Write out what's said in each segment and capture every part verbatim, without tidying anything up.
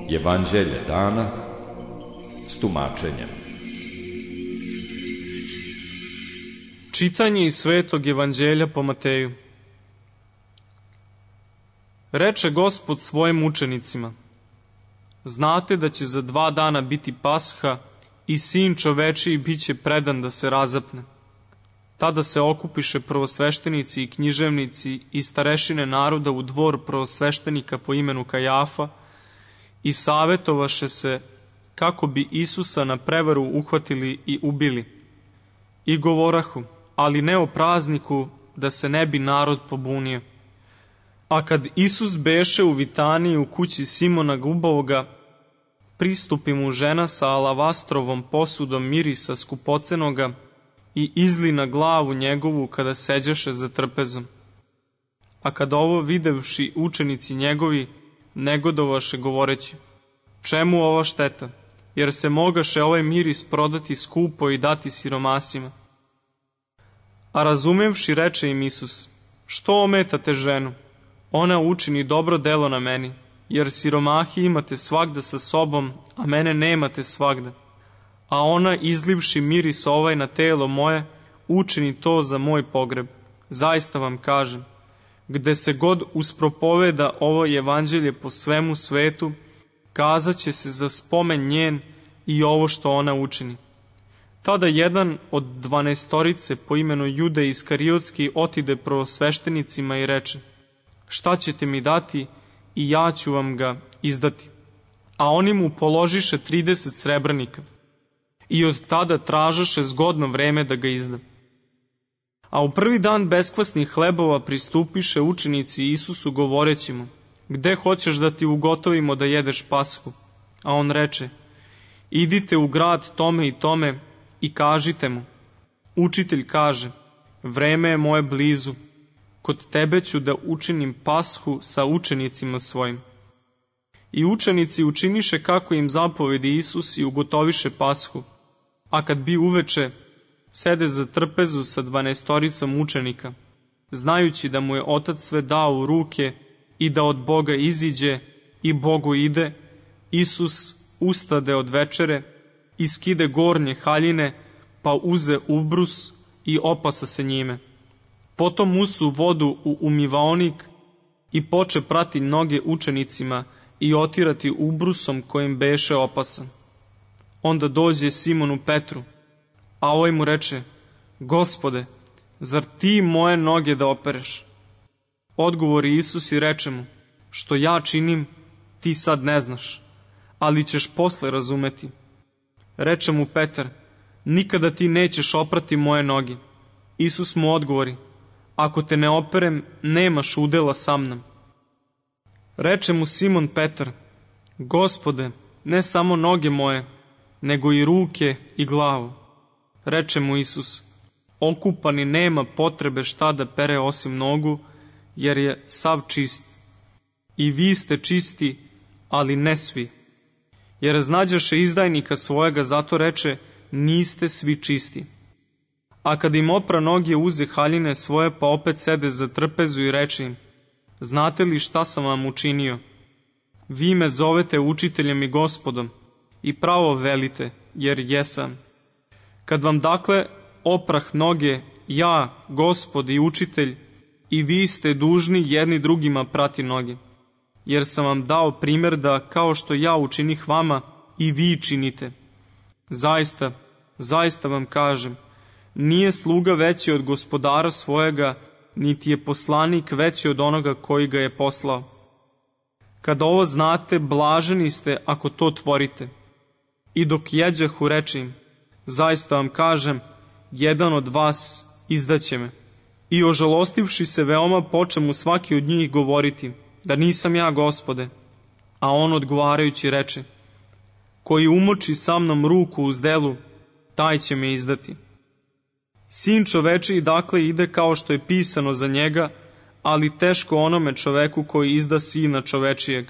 Evanđelje dana s tumačenjem. Čitanje iz Svetog Evanđelja po Mateju. Reče Gospod svojim učenicima: znate da će za dva dana biti Pasha i Sin čovečiji bit će predan da se razapne. Tada se okupiše prvosveštenici i književnici i starešine naroda u dvor prvosveštenika po imenu Kajafa i savjetovaše se kako bi Isusa na prevaru uhvatili i ubili. I govorahu, ali ne o prazniku, da se ne bi narod pobunio. A kad Isus beše u Vitaniji u kući Simona Gubavoga, pristupi mu žena sa alavastrovom posudom mirisa skupocenoga i izli na glavu njegovu kada seđaše za trpezom. A kad ovo videvši učenici njegovi, negodovaše govoreći: čemu ova šteta, jer se mogaše ovaj miris prodati skupo i dati siromasima. A razumevši reče im Isus: što ometate ženu? Ona učini dobro delo na meni, jer siromahi imate svagda sa sobom, a mene nemate svagda. A ona, izlivši miris ovaj na telo moje, učini to za moj pogreb. Zaista vam kažem, gde se god uspropoveda ovo evanđelje po svemu svetu, kazat će se za spomen njen i ovo što ona učini. Tada jedan od dvanaestorice po imenu Jude Iskariotski otide prvosveštenicima i reče: šta ćete mi dati i ja ću vam ga izdati. A oni mu položiše trideset srebrnika i od tada tražaše zgodno vreme da ga izda. A u prvi dan beskvasnih hlebova pristupiše učenici Isusu govoreći mu: gde hoćeš da ti ugotovimo da jedeš Pashu? A on reče: idite u grad tome i tome i kažite mu: učitelj kaže, vreme je moje blizu, kod tebe ću da učinim Pashu sa učenicima svojim. I učenici učiniše kako im zapovedi Isus i ugotoviše Pashu. A kad bi uveče, sede za trpezu sa dvanaestoricom učenika, znajući da mu je Otac sve dao u ruke i da od Boga iziđe i Bogu ide, Isus ustade od večere i skide gornje haljine, pa uze ubrus i opasa se njime. Potom usu vodu u umivaonik i poče prati noge učenicima i otirati ubrusom kojim beše opasan. Onda dođe Simonu Petru, a ovaj mu reče: Gospode, zar ti moje noge da opereš? Odgovori Isus i reče mu: što ja činim, ti sad ne znaš, ali ćeš posle razumeti. Reče mu Petar: nikada ti nećeš oprati moje noge. Isus mu odgovori: ako te ne operem, nemaš udela sa mnom. Reče mu Simon Petar: Gospode, ne samo noge moje, nego i ruke i glavu. Reče mu Isus: okupani nema potrebe šta da pere osim nogu, jer je sav čist. I vi ste čisti, ali ne svi. Jer znađaše izdajnika svojega, zato reče: niste svi čisti. A kad im opra noge, uze haljine svoje, pa opet sede za trpezu i reče im: znate li šta sam vam učinio? Vi me zovete učiteljem i Gospodom, i pravo velite, jer jesam. Kad vam dakle oprah noge, ja, Gospod i učitelj, i vi ste dužni jedni drugima prati noge, jer sam vam dao primjer da kao što ja učinih vama, i vi činite. Zaista, zaista vam kažem, nije sluga veći od gospodara svojega, niti je poslanik veći od onoga koji ga je poslao. Kad ovo znate, blaženi ste ako to tvorite. I dok jeđahu, reče im: zaista vam kažem, jedan od vas izdaće me. I ožalostivši se veoma, poče mu svaki od njih govoriti: da nisam ja, Gospode. A on odgovarajući reče: koji umoči sa mnom ruku uz delu, taj će me izdati. Sin čovečiji dakle ide kao što je pisano za njega, ali teško onome čoveku koji izda sina čovečijeg.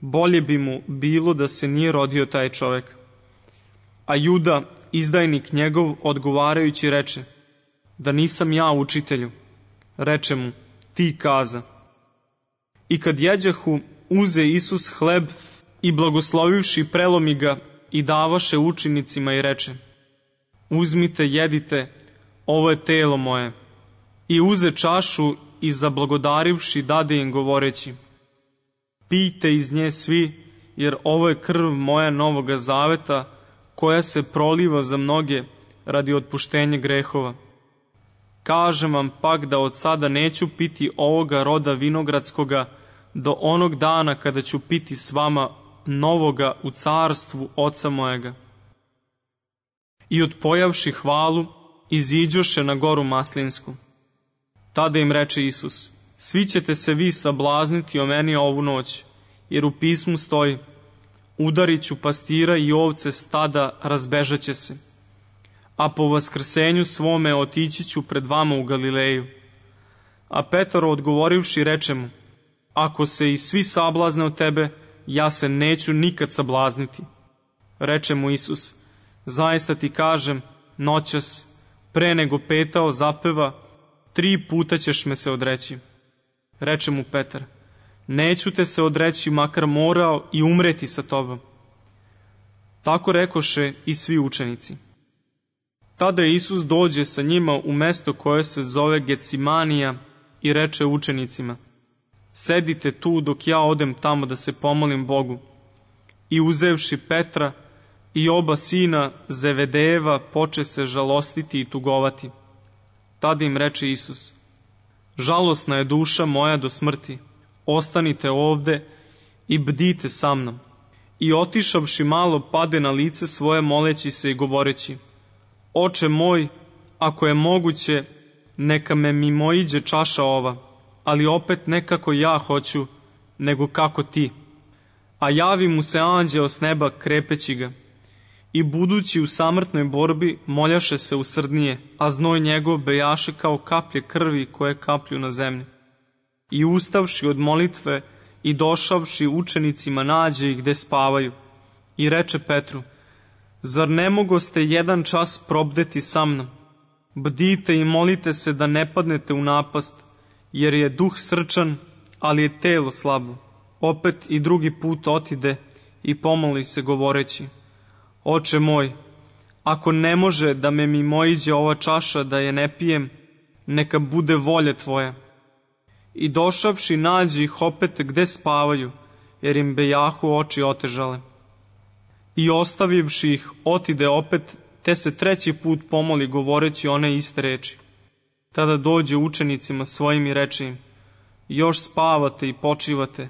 Bolje bi mu bilo da se nije rodio taj čovek. A Juda, izdajnik njegov, odgovarajući reče: da nisam ja, učitelju. Reče mu, ti kaza. I kad jeđahu, uze Isus hleb i blagoslovivši prelomi ga i davaše učenicima i reče, uzmite, jedite, ovo je telo moje. I uze čašu i zablagodarivši dade im govoreći, pijte iz nje svi, jer ovo je krv moja novoga zaveta, koja se proliva za mnoge radi otpuštenja grehova. Kažem vam pak da od sada neću piti ovoga roda vinogradskoga do onog dana kada ću piti s vama novoga u carstvu Oca mojega. I odpojavši hvalu, iziđoše na goru Maslinsku. Tada im reče Isus, svi ćete se vi sablazniti o meni ovu noć, jer u pismu stoji, udarit ću pastira i ovce stada razbežaće se, a po vaskrsenju svome otići ću pred vama u Galileju. A Petar odgovorivši reče mu, ako se i svi sablazne od tebe, ja se neću nikad sablazniti. Reče mu Isus, zaista ti kažem, noćas, pre nego petao zapeva, tri puta ćeš me se odreći. Reče mu Petar, neću te se odreći, makar morao i umreti sa tobom. Tako rekoše i svi učenici. Tada Isus dođe sa njima u mesto koje se zove Gecimanija i reče učenicima, sedite tu dok ja odem tamo da se pomolim Bogu. I uzevši Petra i oba sina Zevedejeva, poče se žalostiti i tugovati. Tada im reče Isus, žalosna je duša moja do smrti, ostanite ovde i bdite sa mnom. I otišavši malo, pade na lice svoje moleći se i govoreći, Oče moj, ako je moguće, neka me mimoiđe čaša ova, ali opet ne kako ja hoću, nego kako ti. A javi mu se anđeo s neba krepeći ga. I budući u samrtnoj borbi, moljaše se usrdnije, a znoj njegov bejaše kao kaplje krvi koje kaplju na zemlji. I ustavši od molitve i došavši učenicima nađe ih gde spavaju. I reče Petru, zar ne mogoste jedan čas probdeti sa mnom? Bdite i molite se da ne padnete u napast, jer je duh srčan, ali je telo slabo. Opet i drugi put otide i pomoli se govoreći, Oče moj, ako ne može da me mimoiđe ova čaša da je ne pijem, neka bude volja tvoja. I došavši nađe ih opet gde spavaju, jer im bejahu oči otežale. I ostavivši ih, otide opet, te se treći put pomoli govoreći one iste reči. Tada dođe učenicima svojim i reče im, još spavate i počivate.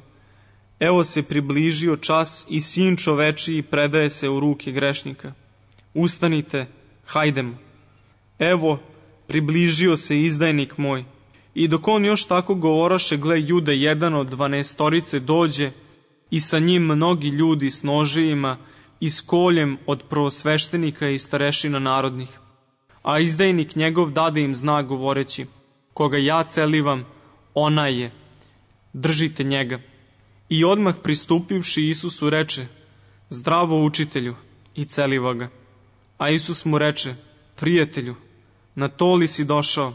Evo se približio čas i sin čovečiji predaje se u ruke grešnika. Ustanite, hajdemo. Evo, približio se izdajnik moj. I dok on još tako govoraše, gle, Juda, jedan od dvanaestorice, dođe i sa njim mnogi ljudi s nožijima i s koljem od prvosveštenika i starešina narodnih. A izdajnik njegov dade im znak govoreći, koga ja celivam, onaj je, držite njega. I odmah pristupivši Isusu reče, zdravo učitelju, i celiva ga. A Isus mu reče, prijatelju, na to li si došao?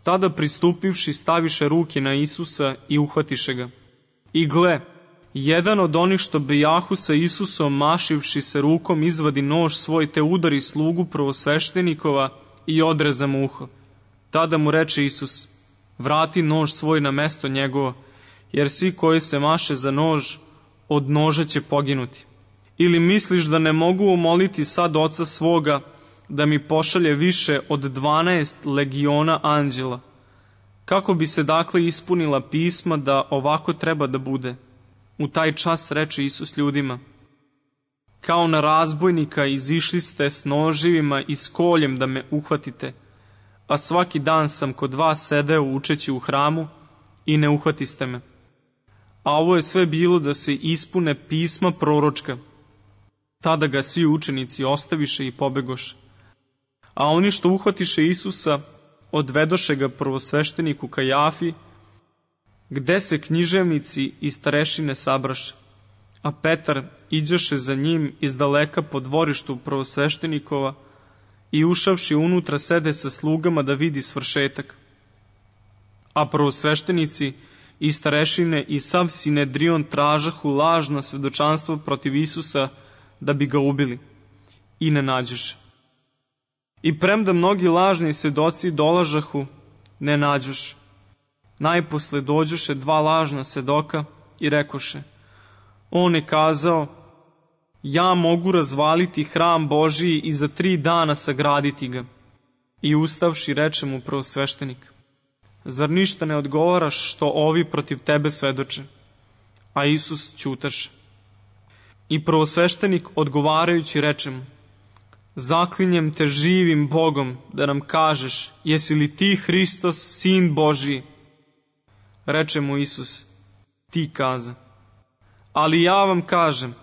Tada pristupivši staviše ruke na Isusa i uhvatiše ga. I gle, jedan od onih što bejahu sa Isusom, mašivši se rukom, izvadi nož svoj te udari slugu prvosveštenikova i odreza mu uho. Tada mu reče Isus, vrati nož svoj na mesto njegovo, jer svi koji se maše za nož, od noža će poginuti. Ili misliš da ne mogu umoliti sad Oca svoga, da mi pošalje više od dvanaest legiona anđela? Kako bi se dakle ispunila pisma da ovako treba da bude? U taj čas reče Isus ljudima, kao na razbojnika izišli ste s noživima i s koljem da me uhvatite, a svaki dan sam kod vas sedeo učeći u hramu i ne uhvatiste me. A ovo je sve bilo da se ispune pisma proročka. Tada ga svi učenici ostaviše i pobegoše. A oni što uhvatiše Isusa, odvedoše ga prvosvešteniku Kajafi, gde se književnici i starešine sabraše. A Petar iđoše za njim iz daleka po dvorištu prvosveštenikova i ušavši unutra sede sa slugama da vidi svršetak. A prvosveštenici i starešine i sav Sinedrion tražahu lažno svedočanstvo protiv Isusa da bi ga ubili. I ne nađoše. I premda mnogi lažni svedoci dolažahu, ne nađoše. Najposle dođoše dva lažna svedoka i rekoše: on je kazao: ja mogu razvaliti hram Božiji i za tri dana sagraditi ga. I ustavši reče mu prvosveštenik: zar ništa ne odgovaraš što ovi protiv tebe svedoče? A Isus ćutaše. I prvosveštenik odgovarajući reče mu: zaklinjem te živim Bogom da nam kažeš, jesi li ti Hristos, sin Božiji? Reče mu Isus: ti kaza. Ali ja vam kažem,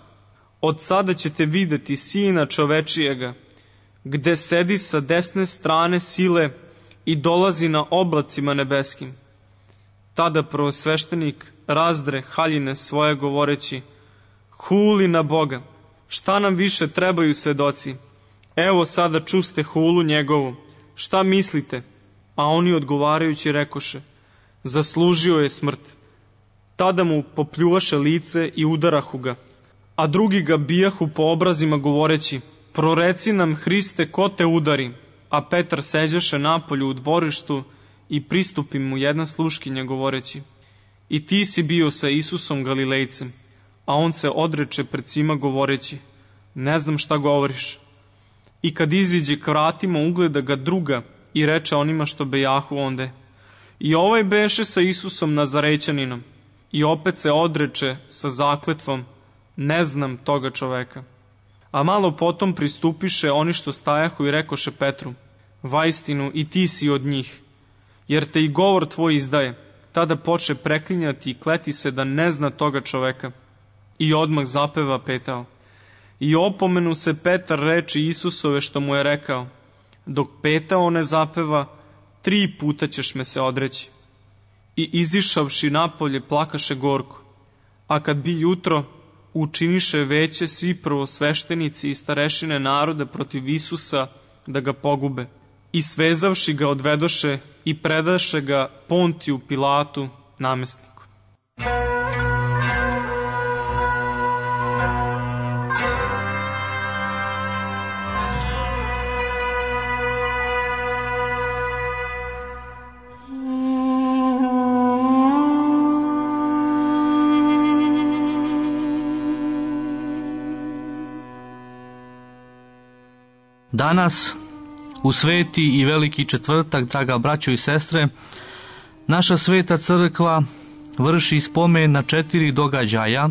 od sada ćete videti Sina čovečijega, gde sedi sa desne strane sile i dolazi na oblacima nebeskim. Tada prvosveštenik razdre haljine svoje govoreći: huli na Boga, šta nam više trebaju svedoci? Evo sada čuste hulu njegovu, šta mislite? A oni odgovarajući rekoše: zaslužio je smrt. Tada mu popljuvaše lice i udarahu ga, a drugi ga bijahu po obrazima govoreći: proreci nam, Hriste, ko te udari? A Petar seđaše napolju u dvorištu i pristupi mu jedna sluškinja govoreći: i ti si bio sa Isusom Galilejcem. A on se odreče pred svima govoreći: ne znam šta govoriš. I kad iziđe k vratima, ugleda ga druga i reče onima što bejahu onde: i ovaj beše sa Isusom Nazarećaninom. I opet se odreče sa zakletvom: ne znam toga čoveka. A malo potom pristupiše oni što stajahu i rekoše Petru: vaistinu i ti si od njih, jer te i govor tvoj izdaje. Tada poče preklinjati i kleti se da ne zna toga čoveka. I odmah zapeva petao. I opomenu se Petar reči Isusove što mu je rekao: dok petao ne zapeva, tri puta ćeš me se odreći. I izišavši napolje plakaše gorko. A kad bi jutro, učiniše veće svi prvosveštenici i starešine naroda protiv Isusa da ga pogube. I svezavši ga odvedoše i predaše ga Pontiju Pilatu, namestniku. Danas, u sveti i veliki četvrtak, draga braćo i sestre, naša sveta crkva vrši spomen na četiri događaja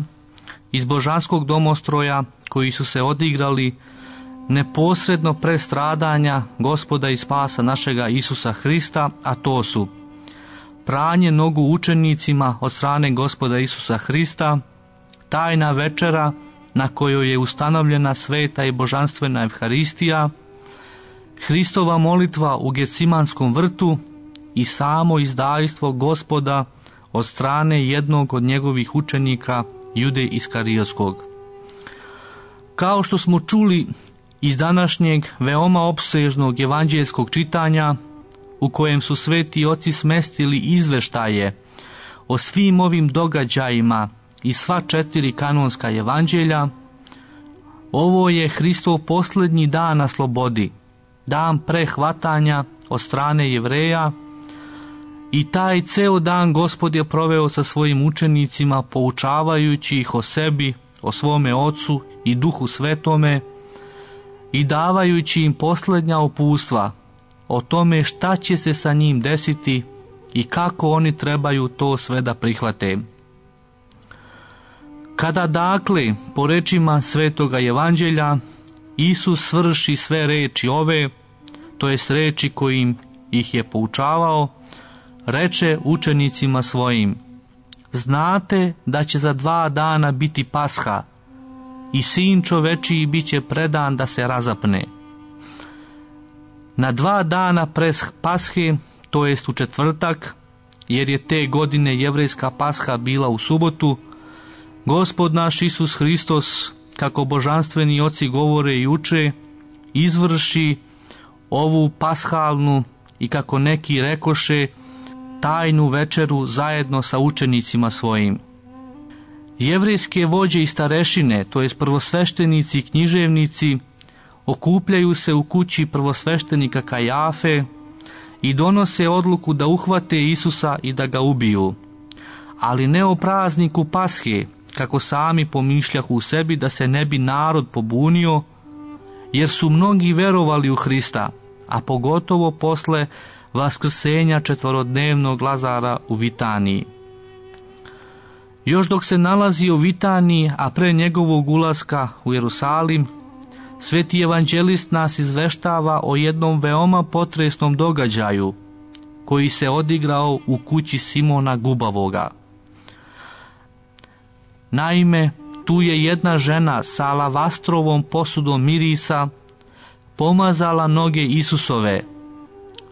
iz božanskog domostroja koji su se odigrali neposredno pre stradanja Gospoda i spasa našega Isusa Hrista, a to su pranje nogu učenicima od strane Gospoda Isusa Hrista, tajna večera na kojoj je ustanovljena sveta i božanstvena Evharistija, Hristova molitva u Gecimanskom vrtu i samo izdajstvo Gospoda od strane jednog od njegovih učenika, Jude Iskarijotskog. Kao što smo čuli iz današnjeg veoma opsežnog evanđeljskog čitanja, u kojem su sveti oci smestili izveštaje o svim ovim događajima i sva četiri kanonska evanđelja, ovo je Hristov posljednji dan na slobodi, dan prehvatanja od strane Jevreja, i taj ceo dan Gospod je proveo sa svojim učenicima, poučavajući ih o sebi, o svome Ocu i Duhu Svetome i davajući im posljednja upustva o tome šta će se sa njim desiti i kako oni trebaju to sve da prihvate. Kada dakle, po rečima svetoga evanđelja, Isus svrši sve reči ove, to jest reči kojim ih je poučavao, reče učenicima svojim: znate da će za dva dana biti Pasha i Sin čovečiji bit će predan da se razapne. Na dva dana pre Pashe, to jest u četvrtak, jer je te godine jevrejska Pasha bila u subotu, Gospod naš Isus Hristos, kako božanstveni oci govore i uče, izvrši ovu pashalnu i, kako neki rekoše, tajnu večeru zajedno sa učenicima svojim. Jevrejske vođe i starešine, to jest prvosveštenici i književnici, okupljaju se u kući prvosveštenika Kajafe i donose odluku da uhvate Isusa i da ga ubiju. Ali ne o prazniku Pashe, kako sami pomišljahu u sebi, da se ne bi narod pobunio, jer su mnogi verovali u Hrista, a pogotovo posle vaskrsenja četvorodnevnog Lazara u Vitaniji. Još dok se nalazi u Vitaniji, a pre njegovog ulaska u Jerusalim, sveti evanđelist nas izveštava o jednom veoma potresnom događaju koji se odigrao u kući Simona Gubavoga. Naime, tu je jedna žena sa alavastrovom posudom mirisa pomazala noge Isusove,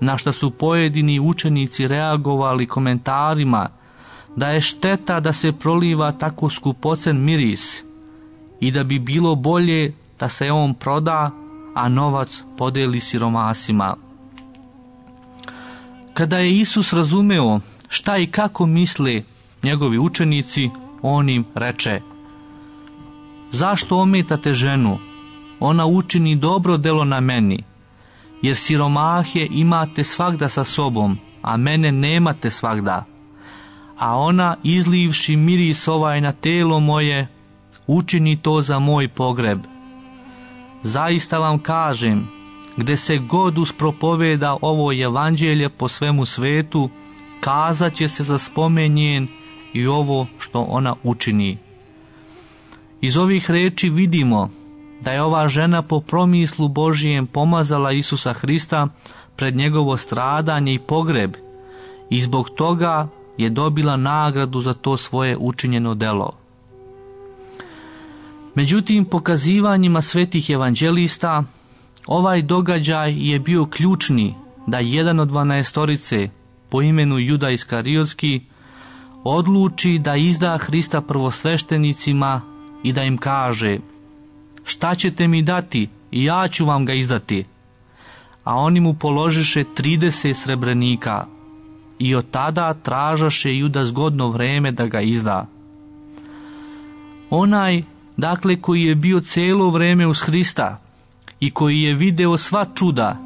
na što su pojedini učenici reagovali komentarima da je šteta da se proliva tako skupocen miris i da bi bilo bolje da se on proda, a novac podeli siromasima. Kada je Isus razumeo šta i kako misle njegovi učenici, on im reče: zašto ometate ženu? Ona učini dobro delo na meni, jer siromahe imate svagda sa sobom, a mene nemate svagda. A ona, izlivši miris ovaj na telo moje, učini to za moj pogreb. Zaista vam kažem, gde se god uspropoveda ovo evanđelje po svemu svetu, kazat će se za spomen njen i ovo što ona učini. Iz ovih reči vidimo da je ova žena po promislu Božijem pomazala Isusa Hrista pred njegovo stradanje i pogreb i zbog toga je dobila nagradu za to svoje učinjeno delo. Međutim, pokazivanjima svetih evanđelista, ovaj događaj je bio ključni da jedan od dvanaestorice po imenu Juda Iskariotski odluči da izda Hrista prvosveštenicima i da im kaže: šta ćete mi dati i ja ću vam ga izdati. A oni mu položiše trideset srebrenika i od tada tražaše Juda zgodno vreme da ga izda. Onaj, dakle, koji je bio cijelo vreme uz Hrista i koji je video sva čuda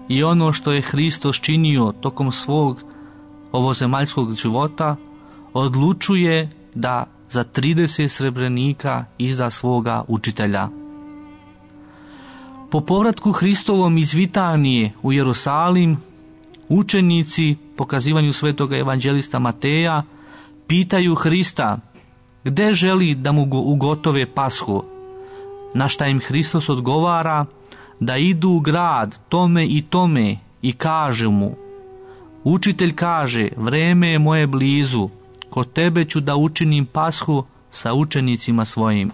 i ono što je Hristos činio tokom svog ovozemaljskog života, odlučuje da za trideset srebrenika izda svoga učitelja. Po povratku Hristovom iz Vitanije u Jerusalim, učenici, pokazivanju svetoga evanđelista Mateja, pitaju Hrista gde želi da mu ugotove Pashu, na šta im Hristos odgovara da idu u grad tome i tome i kaže mu: učitelj kaže, vreme je moje blizu, kod tebe ću da učinim Pashu sa učenicima svojim.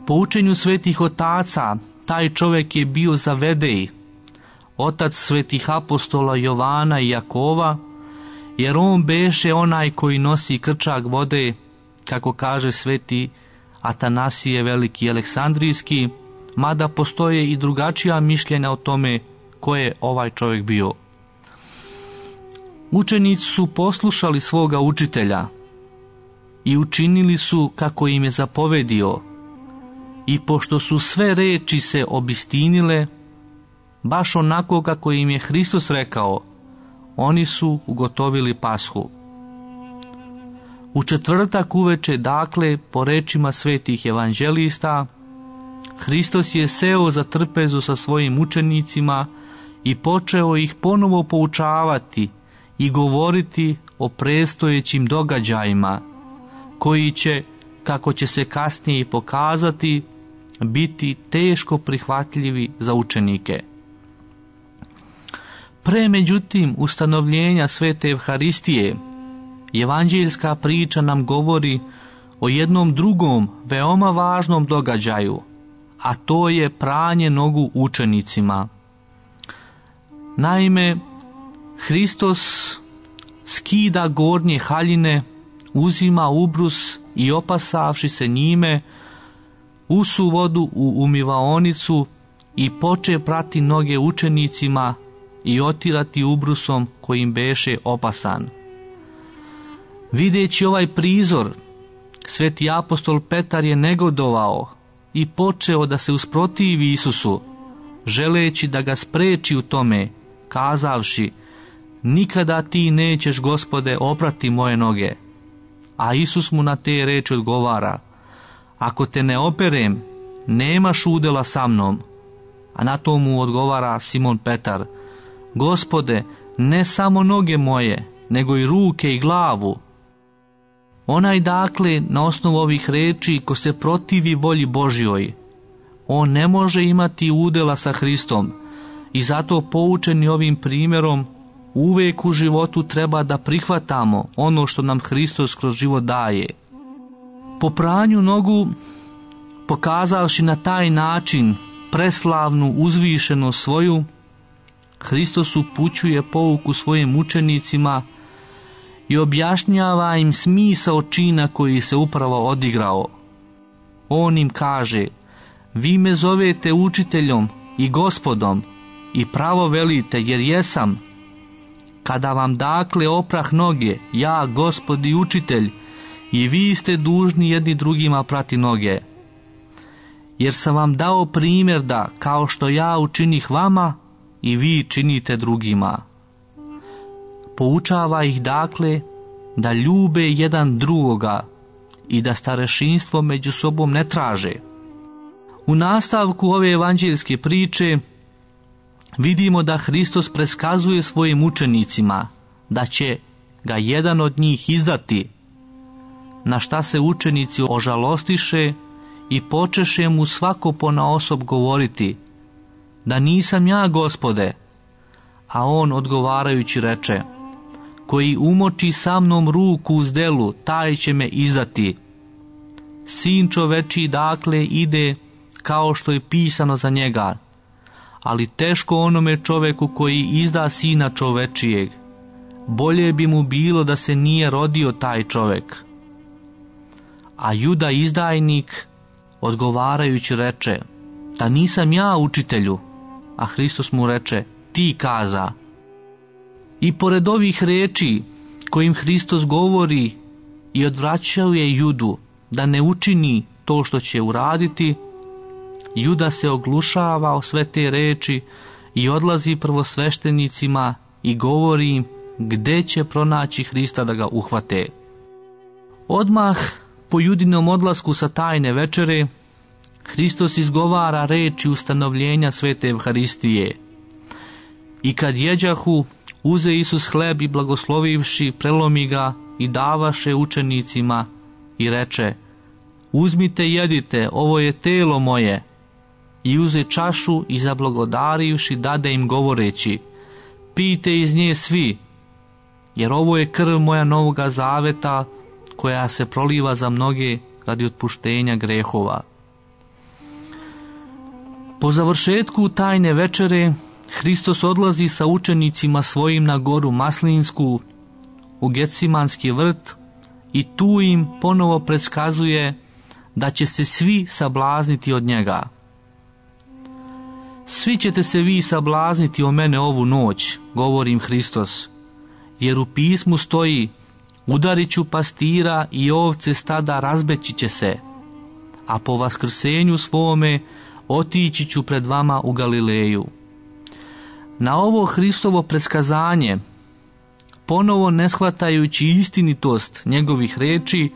Po učenju svetih otaca, taj čovjek je bio Zavedej, otac svetih apostola Jovana i Jakova, jer on beše onaj koji nosi krčak vode, kako kaže sveti Atanasije Veliki Aleksandrijski, mada postoje i drugačija mišljenja o tome ko je ovaj čovjek bio. Učenici su poslušali svoga učitelja i učinili su kako im je zapovedio, i pošto su sve reči se obistinile, baš onako kako im je Hristos rekao, oni su ugotovili Pashu. U četvrtak uveče, dakle, po rečima svetih evanđelista, Hristos je seo za trpezu sa svojim učenicima i počeo ih ponovo poučavati i govoriti o predstojećim događajima, koji će, kako će se kasnije i pokazati, biti teško prihvatljivi za učenike. Pre, međutim, ustanovljenja svete Evharistije, evanđeljska priča nam govori o jednom drugom, veoma važnom događaju, a to je pranje nogu učenicima. Naime, Hristos skida gornje haljine, uzima ubrus i opasavši se njime, usu vodu u umivaonicu i poče prati noge učenicima i otirati ubrusom kojim beše opasan. Videći ovaj prizor, sveti apostol Petar je negodovao i počeo da se usprotivi Isusu, želeći da ga spreči u tome, kazavši: nikada ti nećeš, Gospode, oprati moje noge. A Isus mu na te reči odgovara: ako te ne operem, nemaš udjela sa mnom. A na to mu odgovara Simon Petar: Gospode, ne samo noge moje, nego i ruke i glavu. Onaj dakle, na osnovu ovih reči, ko se protivi volji Božjoj, on ne može imati udjela sa Hristom, i zato poučeni ovim primjerom uvijek u životu treba da prihvatamo ono što nam Hristos kroz život daje. Po pranju nogu, pokazavši na taj način preslavnu uzvišenost svoju, Hristos upućuje pouku svojim učenicima i objašnjava im smisao čina koji se upravo odigrao. On im kaže: vi me zovete učiteljom i gospodom i pravo velite, jer jesam. Kada vam dakle oprah noge, ja, Gospod i učitelj, i vi ste dužni jedni drugima prati noge. Jer sam vam dao primjer da, kao što ja učinih vama, i vi činite drugima. Poučava ih dakle da ljube jedan drugoga i da starešinstvo među sobom ne traže. U nastavku ove evanđeljske priče vidimo da Hristos preskazuje svojim učenicima da će ga jedan od njih izdati, na šta se učenici ožalostiše i počeše mu svako ponaosob govoriti: da nisam ja, Gospode. A on odgovarajući reče: koji umoči sa mnom ruku u zdelu, taj će me izdati. Sin čovečiji dakle ide kao što je pisano za njega, ali teško onome čoveku koji izda sina čovečijeg. Bolje bi mu bilo da se nije rodio taj čovek. A Juda izdajnik odgovarajući reče: da nisam ja, učitelju. A Hristos mu reče: ti kaza. I pored ovih reči kojim Hristos govori i odvraćuje Judu da ne učini to što će uraditi, Juda se oglušava o sve te reči i odlazi prvosveštenicima i govori im gde će pronaći Hrista da ga uhvate. Odmah po Judinom odlasku sa tajne večere, Hristos izgovara reči ustanovljenja svete Evharistije. I kad jeđahu, uze Isus hleb i blagoslovivši, prelomi ga i davaše učenicima i reče: uzmite, jedite, ovo je telo moje. I uze čašu i zablagodarivši dade im govoreći: pijte iz nje svi, jer ovo je krv moja novoga zaveta, koja se proliva za mnoge radi otpuštenja grehova. Po završetku tajne večere, Hristos odlazi sa učenicima svojim na goru Maslinsku, u Gecimanski vrt, i tu im ponovo predskazuje da će se svi sablazniti od njega. Svi ćete se vi sablazniti o mene ovu noć, govori im Hristos, jer u pismu stoji: udarit ću pastira i ovce stada razbeći će se, a po vaskrsenju svome otići ću pred vama u Galileju. Na ovo Hristovo predskazanje, ponovo ne shvatajući istinitost njegovih reči,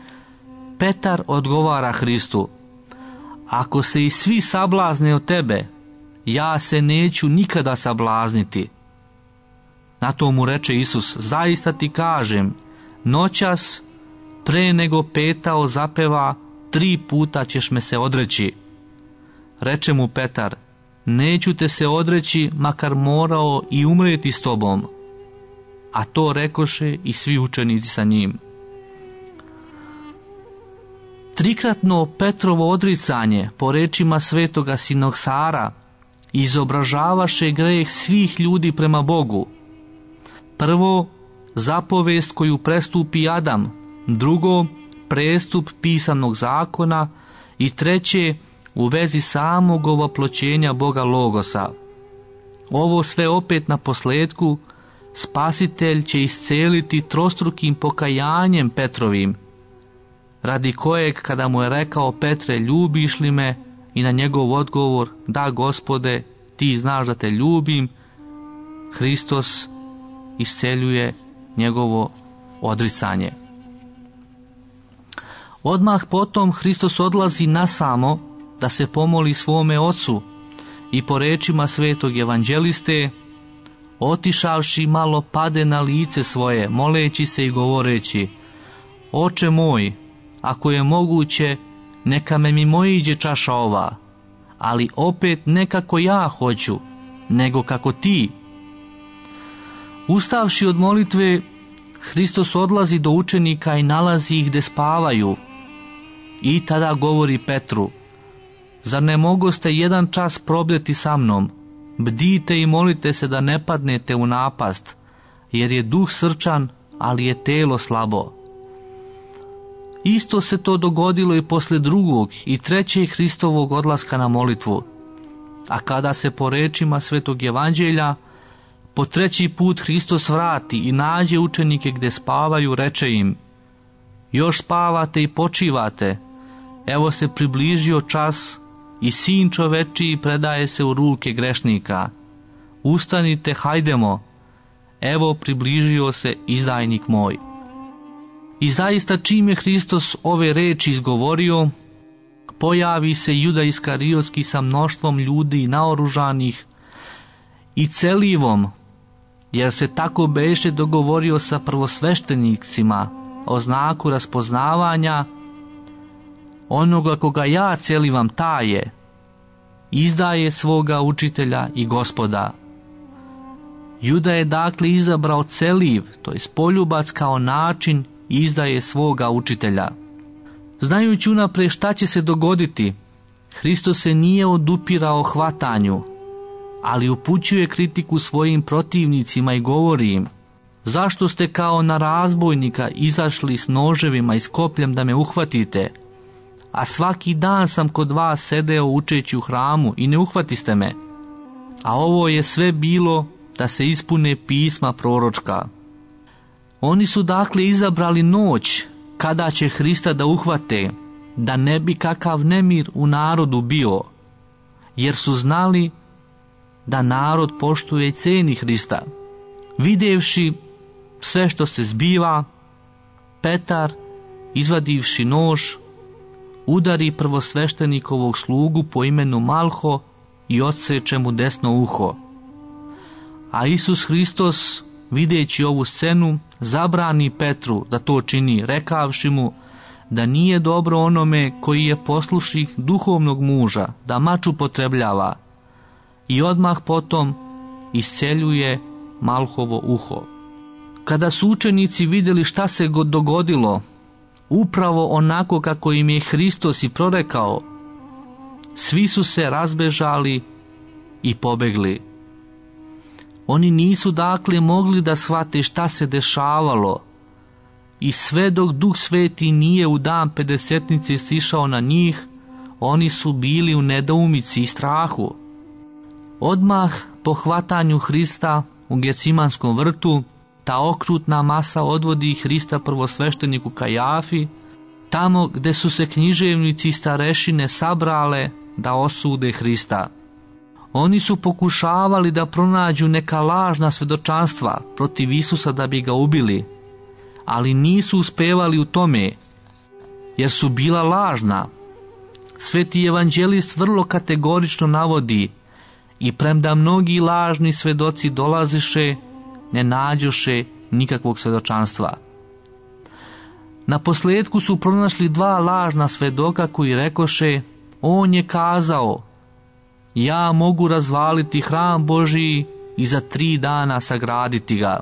Petar odgovara Hristu: ako se i svi sablazne od tebe, ja se neću nikada sablazniti. Na to mu reče Isus: zaista ti kažem, noćas pre nego petao zapeva, tri puta ćeš me se odreći. Reče mu Petar: neću te se odreći, makar morao i umreti s tobom. A to rekoše i svi učenici sa njim. Trikratno Petrovo odricanje, po rečima svetoga Sinoksara, izobražavaše greh svih ljudi prema Bogu. Prvo, zapovest koju prestupi Adam, drugo, prestup pisanog zakona i treće, u vezi samog ovoploćenja Boga Logosa. Ovo sve opet na posljedku Spasitelj će isceliti trostrukim pokajanjem Petrovim, radi kojeg kada mu je rekao Petre, ljubiš li me, i na njegov odgovor, da Gospode, ti znaš da te ljubim, Hristos isceljuje njegovo odricanje. Odmah potom Hristos odlazi nasamo da se pomoli svome Ocu i po rečima svetog evanđeliste, otišavši malo pade na lice svoje, moleći se i govoreći, Oče moj, ako je moguće, neka me mimoiđe čaša ova, ali opet ne kako ja hoću, nego kako ti. Ustavši od molitve, Hristos odlazi do učenika i nalazi ih gde spavaju. I tada govori Petru, zar ne mogoste jedan čas probdeti sa mnom? Bdite i molite se da ne padnete u napast, jer je duh srčan, ali je telo slabo. Isto se to dogodilo i posle drugog i trećeg Hristovog odlaska na molitvu. A kada se po rečima svetog evanđelja po treći put Hristos vrati i nađe učenike gde spavaju, reče im, još spavate i počivate, evo se približio čas i sin čovečiji predaje se u ruke grešnika. Ustanite, hajdemo, evo približio se izdajnik moj. I zaista čim je Hristos ove reči izgovorio, pojavi se Juda Iskariotski sa mnoštvom ljudi naoružanih i celivom, jer se tako beše dogovorio sa prvosveštenicima o znaku raspoznavanja, onoga koga ja celivam taje, izdaje svoga učitelja i Gospoda. Juda je dakle izabrao celiv, to je poljubac kao način izdaje svoga učitelja. Znajući unaprijed šta će se dogoditi, Hristos se nije odupirao hvatanju, ali upućuje kritiku svojim protivnicima i govori im, zašto ste kao na razbojnika izašli s noževima i s kopljem da me uhvatite, a svaki dan sam kod vas sedeo učeći u hramu i ne uhvatiste me. A ovo je sve bilo da se ispune pisma proročka. Oni su dakle izabrali noć kada će Hrista da uhvate, da ne bi kakav nemir u narodu bio, jer su znali da narod poštuje i ceni Hrista. Videvši sve što se zbiva, Petar, izvadivši nož, udari prvosveštenikovog slugu po imenu Malho i odseče mu desno uho. A Isus Hristos, videći ovu scenu, zabrani Petru da to čini, rekavši mu da nije dobro onome koji je poslušnih duhovnog muža da mač upotrebljava, i odmah potom isceljuje Malhovo uho. Kada su učenici vidjeli šta se dogodilo, upravo onako kako im je Hristos i prorekao, svi su se razbežali i pobegli. Oni nisu dakle mogli da shvate šta se dešavalo, i sve dok Duh Sveti nije u dan pedesetnice sišao na njih, oni su bili u nedoumici i strahu. Odmah po hvatanju Hrista u Gecimanskom vrtu, ta okrutna masa odvodi Hrista prvosvešteniku Kajafi, tamo gde su se književnici i starešine sabrale da osude Hrista. Oni su pokušavali da pronađu neka lažna svedočanstva protiv Isusa da bi ga ubili, ali nisu uspevali u tome, jer su bila lažna. Sveti evanđelist vrlo kategorično navodi, i premda mnogi lažni svedoci dolaziše, ne nađoše nikakvog svedočanstva. Na posljedku su pronašli dva lažna svedoka koji rekoše, on je kazao, ja mogu razvaliti hram Božiji i za tri dana sagraditi ga.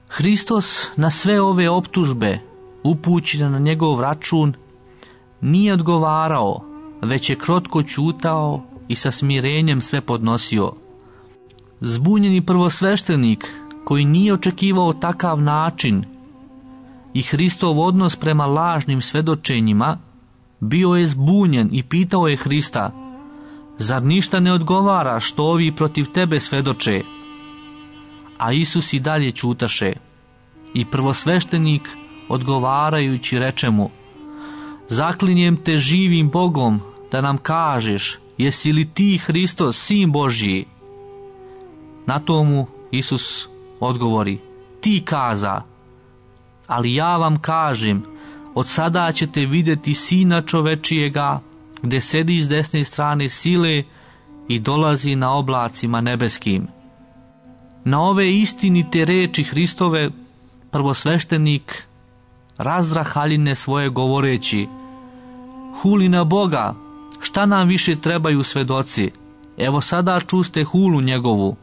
Hristos na sve ove optužbe, upućene na njegov račun, nije odgovarao, već je krotko ćutao i sa smirenjem sve podnosio. Zbunjeni prvosveštenik, koji nije očekivao takav način i Hristov odnos prema lažnim svedočenjima, bio je zbunjen i pitao je Hrista, Zar ništa ne odgovara što ovi protiv tebe svedoče? A Isus i dalje ćutaše. I prvosveštenik odgovarajući reče mu: Zaklinjem te živim Bogom da nam kažeš, jesi li ti Hristos, sin Božji? Na tomu Isus odgovori: Ti kaza. Ali ja vam kažem, od sada ćete vidjeti Sina čovečijega, gde sedi s desne strane sile i dolazi na oblacima nebeskim. Na ove istinite reči Hristove prvosveštenik razdrah haljine svoje govoreći: Huli na Boga, šta nam više trebaju svedoci? Evo sada čuste hulu njegovu.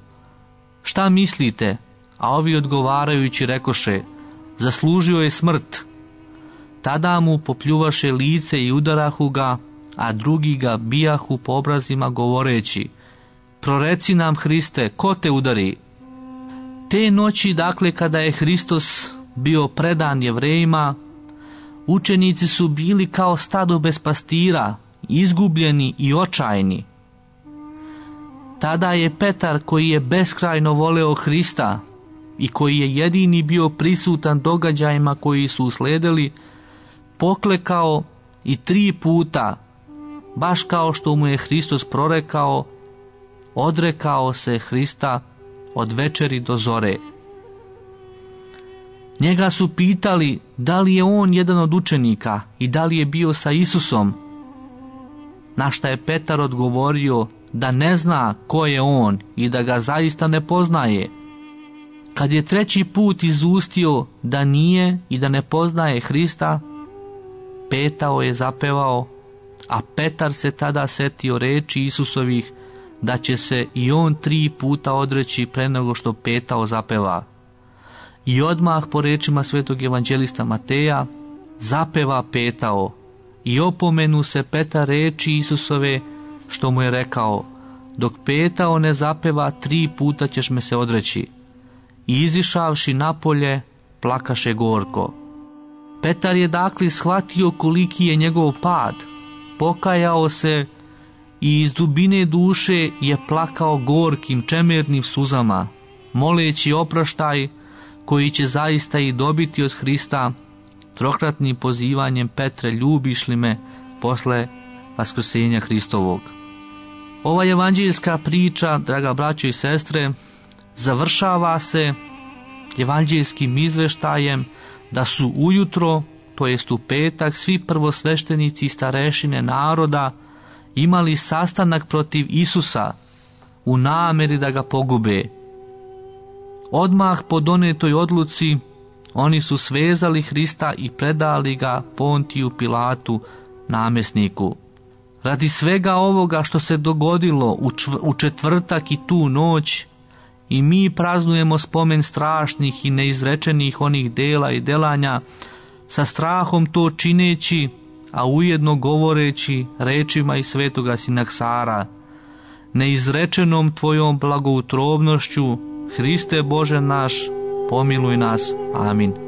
Šta mislite? A ovi odgovarajući rekoše: Zaslužio je smrt. Tada mu popljuvaše lice i udarahu ga, a drugi ga bijahu po obrazima govoreći: Proreci nam, Hriste, ko te udari? Te noći, dakle, kada je Hristos bio predan Jevrejima, učenici su bili kao stado bez pastira, izgubljeni i očajni. Tada je Petar, koji je beskrajno voleo Hrista i koji je jedini bio prisutan događajima koji su usledili, poklekao i tri puta, baš kao što mu je Hristos prorekao, odrekao se Hrista od večeri do zore. Njega su pitali da li je on jedan od učenika i da li je bio sa Isusom, na šta je Petar odgovorio da ne zna ko je on i da ga zaista ne poznaje. Kad je treći put izustio da nije i da ne poznaje Hrista, petao je zapevao, a Petar se tada setio reči Isusovih da će se i on tri puta odreći pre nego što petao zapeva. I odmah po rečima svetog evanđelista Mateja zapeva petao i opomenu se Petar reči Isusove što mu je rekao: Dok petao ne zapeva, tri puta ćeš me se odreći. I izišavši napolje, plakaše gorko. Petar je dakle shvatio koliki je njegov pad, pokajao se i iz dubine duše je plakao gorkim čemernim suzama, moleći oproštaj koji će zaista i dobiti od Hrista trokratnim pozivanjem: Petre, ljubiš li me, posle vaskrsenja Hristovog. Ova evanđeljska priča, draga braćo i sestre, završava se evanđeljskim izveštajem da su ujutro, to jest u petak, svi prvosveštenici i starešine naroda imali sastanak protiv Isusa u nameri da ga pogube. Odmah po donetoj odluci oni su svezali Hrista i predali ga Pontiju Pilatu, namjesniku. Radi svega ovoga što se dogodilo u, čv- u četvrtak i tu noć, i mi praznujemo spomen strašnih i neizrečenih onih dela i delanja, sa strahom to čineći, a ujedno govoreći rečima iz svetoga Sinaksara: Neizrečenom tvojom blagoutrovnošću, Hriste Bože naš, pomiluj nas. Amin.